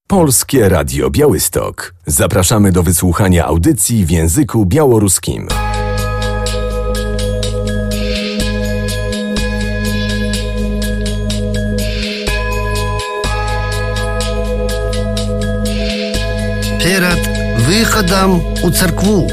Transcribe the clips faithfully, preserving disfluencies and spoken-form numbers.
Polskie Radio Białystok. Zapraszamy do wysłuchania audycji w języku białoruskim. Перед выходом у церкву.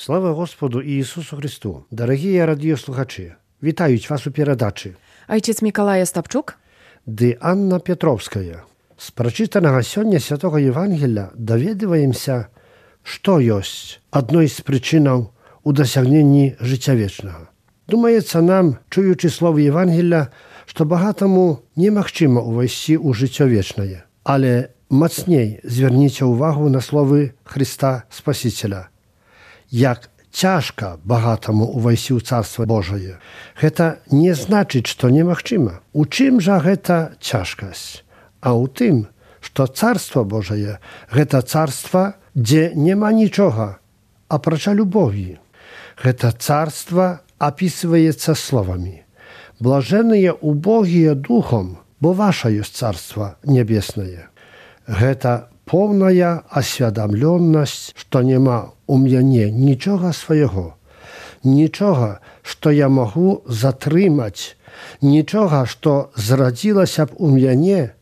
Слава Господу Ісусу Христу! Дорогі радіослухачі, вітають вас у передачі. Ojciec Mikołaj Ostapczuk Dy Anna Петровская. З прочитаного сьогодні Святого Євангелія довідуємося, що є одною з причин у досягненні життя вічного. Думається нам, чуючи слово Євангелія, що багатому неможливо увійти у життя вічне. Але мацней зверніть увагу на слово Христа Спасителя. Як ciężko bogatemu увойти в Царство Божие. Это не значит, что немагчимо. У чым жа гэта цяжкасць? А ў тым, што Царство Божие – гэта царство, дзе няма нічога, апрача любові. Гэта царство описывается словами. Блаженные убогие духом, бо ваше есть Царство Небесное. Гэта повная осведомленность, что нема у мяне нічога свайго, нічога, што я магу затрымаць, нічога, што зрадзілася б у мяне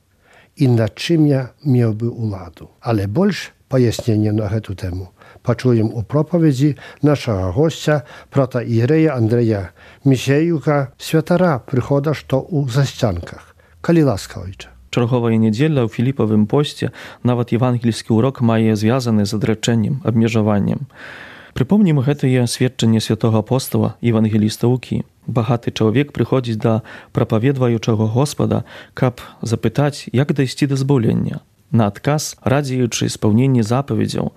і над чым я меў бы уладу. Але больш паяснення на гэту тэму пачуем у пропаведзі нашага госця, протаірэя Андрэя Місеюка, святара прыхода, што ў засцянках. Калі ласка, ojcze. Чарговая недзеля ў Філіпавым посце нават евангельскі урок мае звязаны з адрачэннем, абмежаваннем. Прыпомнім гэтае сведчанне святога апостола евангеліста Лукі. Багаты чалавек прыходзіць да прапаведваючага Господа, каб запытаць, як дайсці да збаўлення. На адказ, радзеючы спаўненне запаведзяў,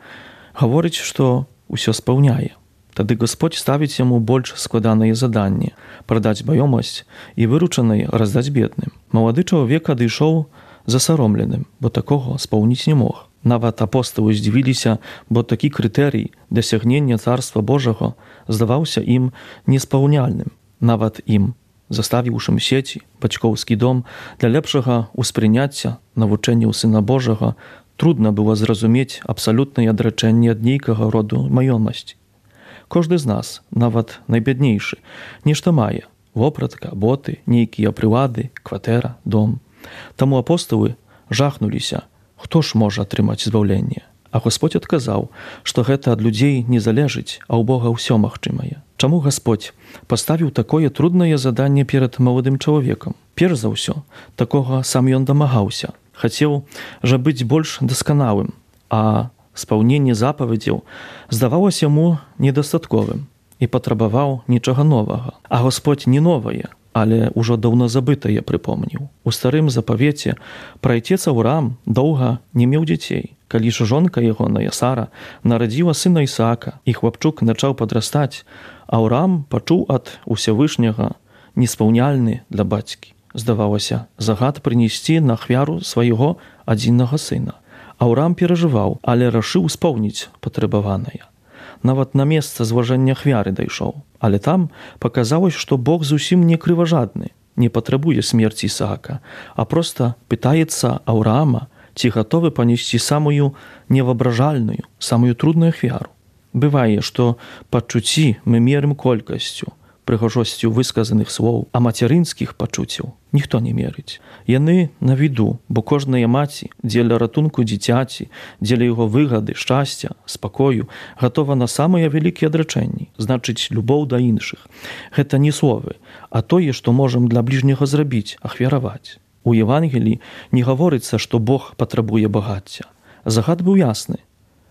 гаворыць, што ўсё спаўняе. Тады Господь ставіць яму больш складанае заданне – прадаць маёмасць і выручанай раздаць бедным. Малады чалавек адышоў засаромленым, бо такога спаўніць не мог. Нават апосталы здзівіліся, бо такі крытэрый дасягнення Царства Божага здаваўся ім неспаўняльным. Нават ім, заставіўшым сеці, бацькоўскі дом, для лепшага ўспрыняцця навучэнняў Сына Божага трудна было зразумець абсалютнае адрачэнне ад нейкага роду маёмасці. Кожны з нас, нават найбяднейшы, нешта мае – вопратка, боты, нейкія прылады, кватэра, дом. Таму апосталы жахнуліся, хто ж можа атрымаць збаўленне. А Господь адказаў, што гэта ад людзей не залежыць, а ў Бога ўсё магчымае. Чаму Господь паставіў такое труднае заданне перад маладым чалавекам? Перш за ўсё, такога сам ён дамагаўся. Хацеў жа быць больш дасканалым, а спаўненне запаведзяў здавалася яму недастатковым і патрабаваў нічога новага. А Господь не новае, але ўжо даўно забытае прыпомніў. У старым запавеце праайцец Аўраам доўга не меў дзяцей. Калі ж жонка ягоная Сара нарадзіла сына Ісаака, і хлапчук пачаў падрастаць, Аўраам пачуў ад Усявышняга неспаўняльны для бацькі. Здавалася, загад прынесці на ахвяру свайго адзінага сына. Аўраам перажываў, але рашыў споўніць патрабаванае. нават на месца зложэння ахвяры дайшоў. Але там паказалось, што Бог зусім не крыважадны, не патрабуе смерці Ісаака, а проста пытаецца Аўраама, ці гатовы панесці самую невоображальную, самую трудную ахвяру. Бывае, што пачуцці мы мерым колькасцю, прыгожосцю высказаных слоў, а мацярынскіх пачуццяў ніхто не мерыць. Яны на віду, бо кожная маці дзеля ратунку дзіцяці, дзеля яго выгады, шчасця, спакою гатова на самыя вялікія адрачэнні, значыць, любоў да іншых. Гэта не словы, а тое, што можам для бліжняга зрабіць, ахвяраваць. У Евангеліі не гаворыцца, што Бог патрабуе багацця. Загад быў ясны.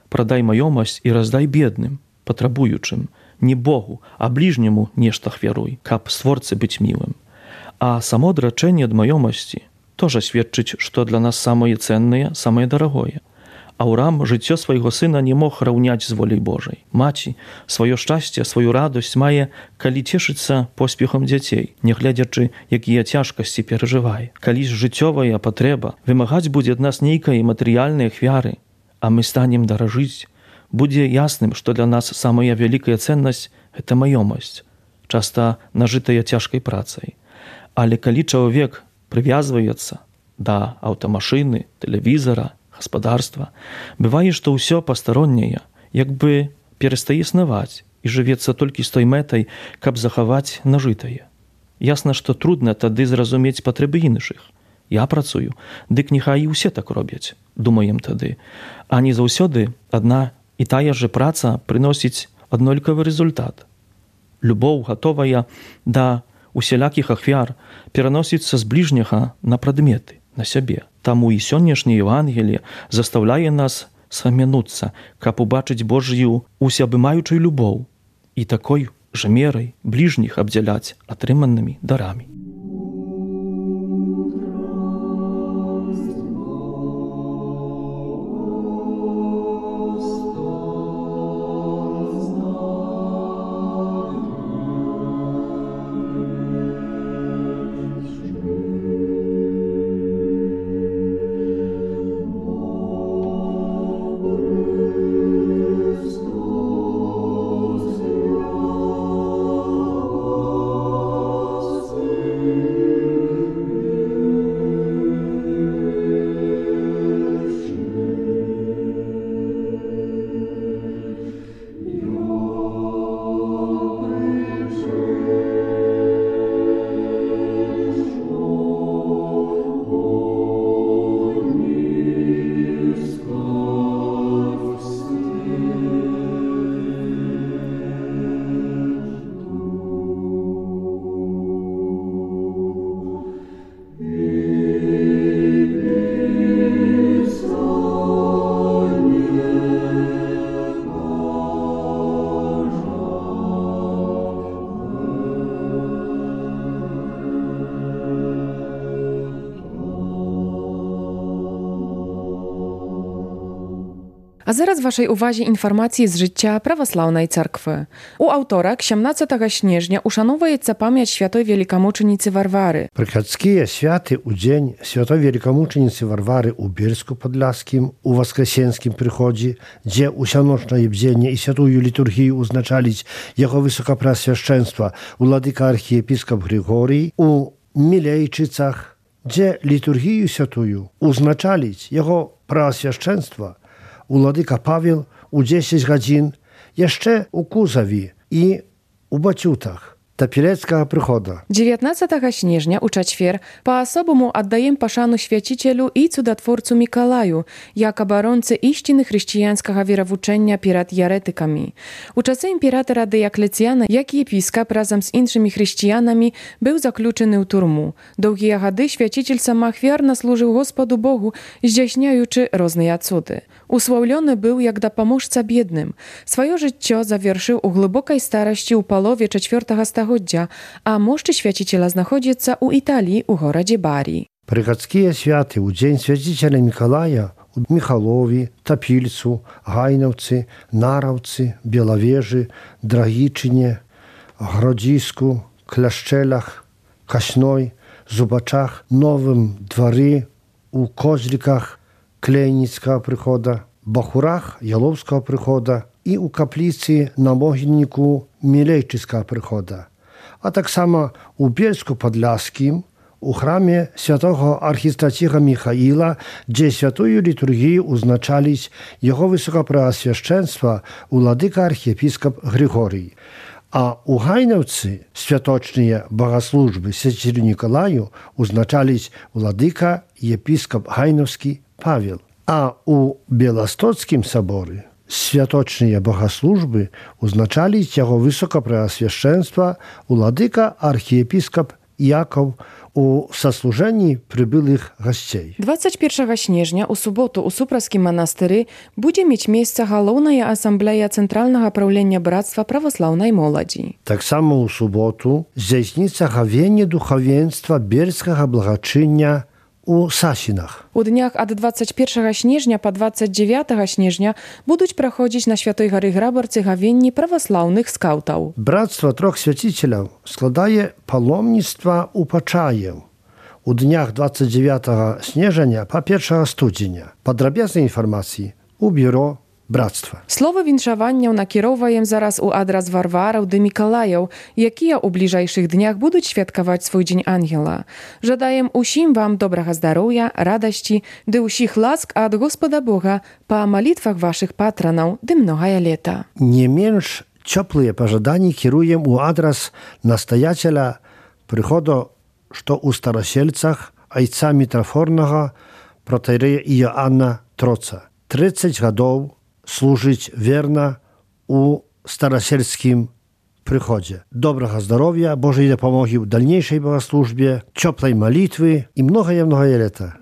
Прадай маёмасць і раздай бедным, патрабуючым, не Богу, а бліжняму нешта ахвяруй, каб створцы быць мілым. А само адрачэнне ад маёмасці тоже сведчыць, што для нас самае цэннае, самае дарагое. Аўраам жыццё свайго сына не мог раўняць з воляй Божай. Маці сваё шчасце, сваю радасць мае, калі цешыцца поспехам дзяцей, нягледзячы, якія цяжкасці перажывае. Калі ж жыццёвая патрэба вымагаць будзе ад нас нейкай матэрыяльнай ахвяры, а мы станем даражыць, будзе ясным, што для нас самая вялікая цэннасць – гэта маёмасць, часта нажытая цяжкай працай. Але калі чалавек прывязваецца да аўтамашыны, тэлевізара, гаспадарства, бывае, што ўсё пастаронняе, як бы перастае існаваць і жывецца толькі з той мэтай, каб захаваць нажытае. Ясна, што трудна тады зразумець патрэбы іншых. Я працую, дык няхай і ўсе так робяць, думаем тады. А не заўсёды адна і тая же праца прыносіць аднолькавы результат. Любоў, гатовая да усялякіх ахвяр, пераносіцца з бліжняга на прадметы, на сябе. Таму і сённяшняе Евангелие застаўляе нас схамянуцца, каб убачыць Божью усеабымаючую любоў і такой жа мерай бліжніх абдзяляць атрыманымі дарамі. А зараз вашej uwadze informacji z życia prawosławnej cerkwy. U autora siedemnastego снежня ушановується пам'ять святої великомучениці Варвари. Приходські святи у день святої великомучениці Варвари у Бирську-Подляскім, у Воскресенськім приході, де усяночне бдзення і святую літургію узначалить його високопреосвященство владика архієпископ Григорій, у Мілейчицях, де літургію святую узначалить його преосвященство Wladyka Paweł u dziesięć godzin, jeszcze u Kuzawi i u Baciutach. Tapilecka przychoda. dziewiętnastego снежня у четвер по-особому отдаем пошану святителю и чудотворцу Миколаю, як оборонце истины християнского веровучения перед еретиками. У часи імператора Діоклетіана, як єпископ разом з іншими християнами, був заключений у турму. Довгі годи святитель самоахвярно служив Господу Богу, здійсняючи різні цуди. Уславлений був як допоможця бідним. Своє життя завершив у глибокій старості у полові четвертого століття, a moszczy święciciela znachodzica u Italii, u gorodzie Bari. Приходские святы у день святителя Миколая у Михалові, Топільцу, Гайновці, Наравці, Біловежі, Драгічині, Гродзіску, Клящелах, Касной, Зубачах, Новим дворі, у Козліках, Клейніцького прихода, Бахурах, Яловського прихода і ў капліцы на могільніку Мілейчыцкага прыхода, а таксама ў Бельску-Падляскім, у храме святого архістраціга Міхаіла, дзе святую літургію узначаліць яго высокапрэасвяшчэнства уладыка архіепіскап Григорій. А у Гайнаўцы святочныя богаслужбы свяцілю Нікалаю узначаліць уладыка епіскап Гайнаўскі Павел. А у Беластоцкім саборы святочныя богаслужбы узначаліць яго высокапрэасвяшчэнства уладыка архіепіскап Якаў у саслужэнні прыбылых гасцей. дваццаць першага снежня у суботу ў Супраскім манастыры будзе мець месца галоўная асамблея Цэнтральнага праўлення брацтва праваслаўнай моладзі. Таксама ў суботу здзяйсніцца гавенне духавенства бельскага благачыння у Сасінах. У днях ад дваццаць першага снежня па дваццаць дзевятага снежня будуць праходзіць на Святой гары Грабарцы гавенні праваслаўных скаўтаў. Брацтва трох свяціцеляў складае паломніцтва ў Пачаеў. У днях дваццаць дзевятага снежня па першага студзеня. Падрабязнай інфармацыі у бюро брацтва. Слова віншаванняў накіроўваем зараз у адрас Варвараў ды Мікалаяў, якія ў бліжэйшых днях будуць святкаваць свой дзень ангела. Жадаем усім вам добрага здароўя, радасці ды ўсіх ласк ад Господа Бога па малітвах вашых патранаў ды многае лета. Не менш цёплыя пажаданні кіруем у адрас настаяцеля прыходу, што ў Старасельцах айца мітрафорнага протаірэя Іоанна Троца. трыццаць гадоў служыць верна у старасельскім прыходзе. Добрага здароўя, Божай дапамогі ў дальнейшай богаслужбе, цёплай малітвы і многае-многае лета.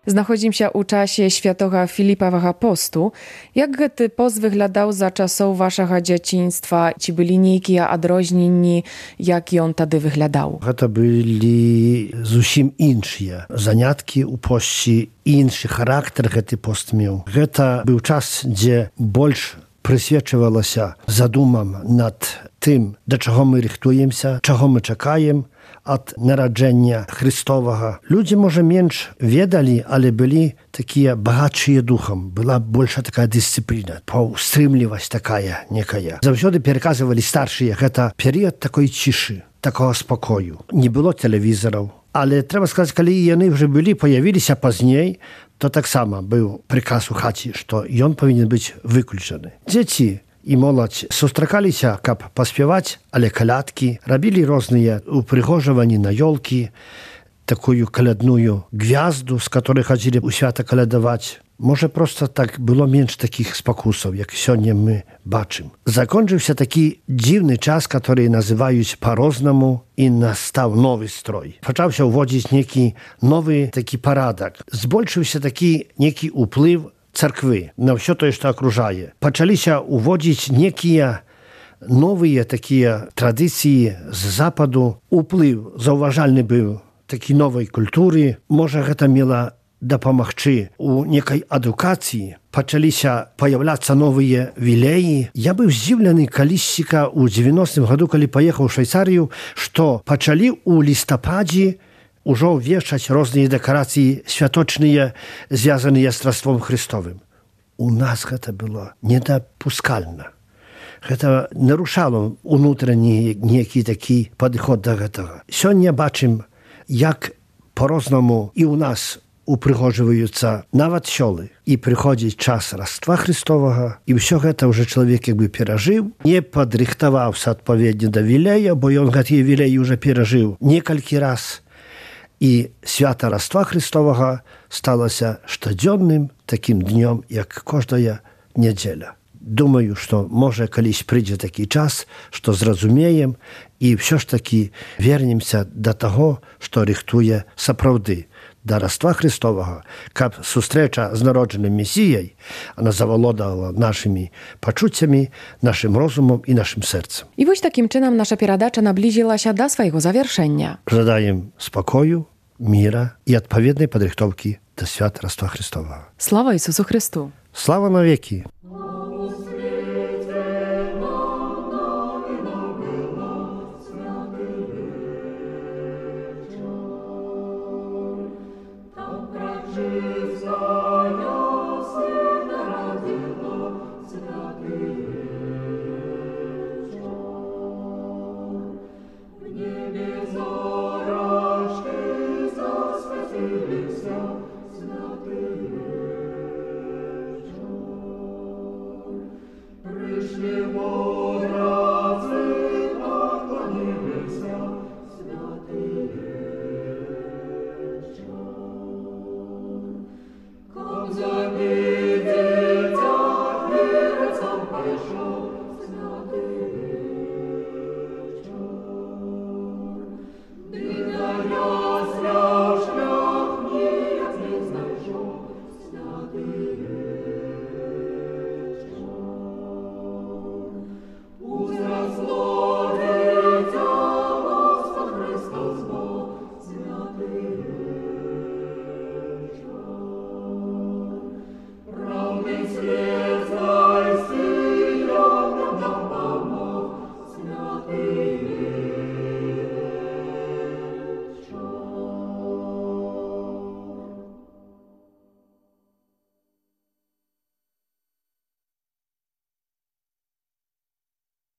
Знаходзімся ў часе святога Філіпавага посту. Як гэты пост выглядаў за часоў вашага дзяцінства? Ці былі нейкія адрозненні, як ён тады выглядаў? Гэта былі зусім іншыя заняткі ў посце, іншы характар гэты пост меў. Гэта быў час, дзе больш прысвечвалася задумам над тым, да чаго мы рыхтуемся, чаго мы чакаем ад нараджэння Христовага. Людзі, можа, менш ведалі, але былі такія багатшыя духам. Была больша такая дысцыпліна, паўстрымлівасць такая некая. Заўсёды пераказвалі старшыя, гэта перыяд такой цішы, такого спакою. Не было тэлевізараў. Але трэба сказаць, калі яны ўжо былі, паявіліся пазней, то таксама быў прыказ у хаце, што ён павінен быць выключаны. Дзеці і моладзь сустракаліся, каб паспяваць, але калядкі, рабілі розныя упрыгожванні на ёлкі, такую калядную гвязду, з которой хадзілі ў свята калядаваць. Можа, проста так было менш такіх спакусаў, як сёння мы бачым. Закончыўся такі дзіўны час, который называюць па-рознаму, і настаў новы строй. Пачаўся ўводзіць некі новы такі парадак. Збольшыўся такі некі ўплыў царквы на ўсё тое, што акружае. Пачаліся ўводзіць некія новыя такія традыцыі з западу. Уплыў заўважальны быў такі новай культуры. Можа, гэта мела дапамагчы у некай адукацыі. Пачаліся паяўляцца новыя вілеі. Я быў здзіўлены калісьціка ў дзевяностым году, калі паехаў у Швейцарыю, што пачалі ў лістападзе ўжо ўвешчаць розныя дэкарацыі святочныя, звязаныя з Раством Христовым. У нас гэта было недапускальна. Гэта нарушало унутраны некі такі падыход да гэтага. Сёння бачым, як по-рознаму і ў нас упрыгожваюцца нават сёлы. І прыходзіць час Раства Христовага, і ўсё гэта ўжо чалавек як бы перажыў, не падрыхтаваўся адпаведна да вілея, бо ён гэтыя вілеі ўжо перажыў некалькі раз. І свята Раства Христовага сталася штодзённым такім днём, як кожная нядзеля. Думаю, што можа калісь прыйдзе такі час, што зразумеем і ўсё ж такі вернемся да таго, што рыхтуе сапраўды да Раства Христовага, каб сустрэча з народжаным Месіяй, она завалодала нашымі пачуццямі, нашым розумам і нашым сэрцам. І вось такім чынам наша перадача наблізілася да свайго завяршэння. Жадаем спакою, міра і адпаведнай падрыхтоўкі да свята Раства Христовага. Слава Ісусу Христу! Слава навекі! Святилися, святилися.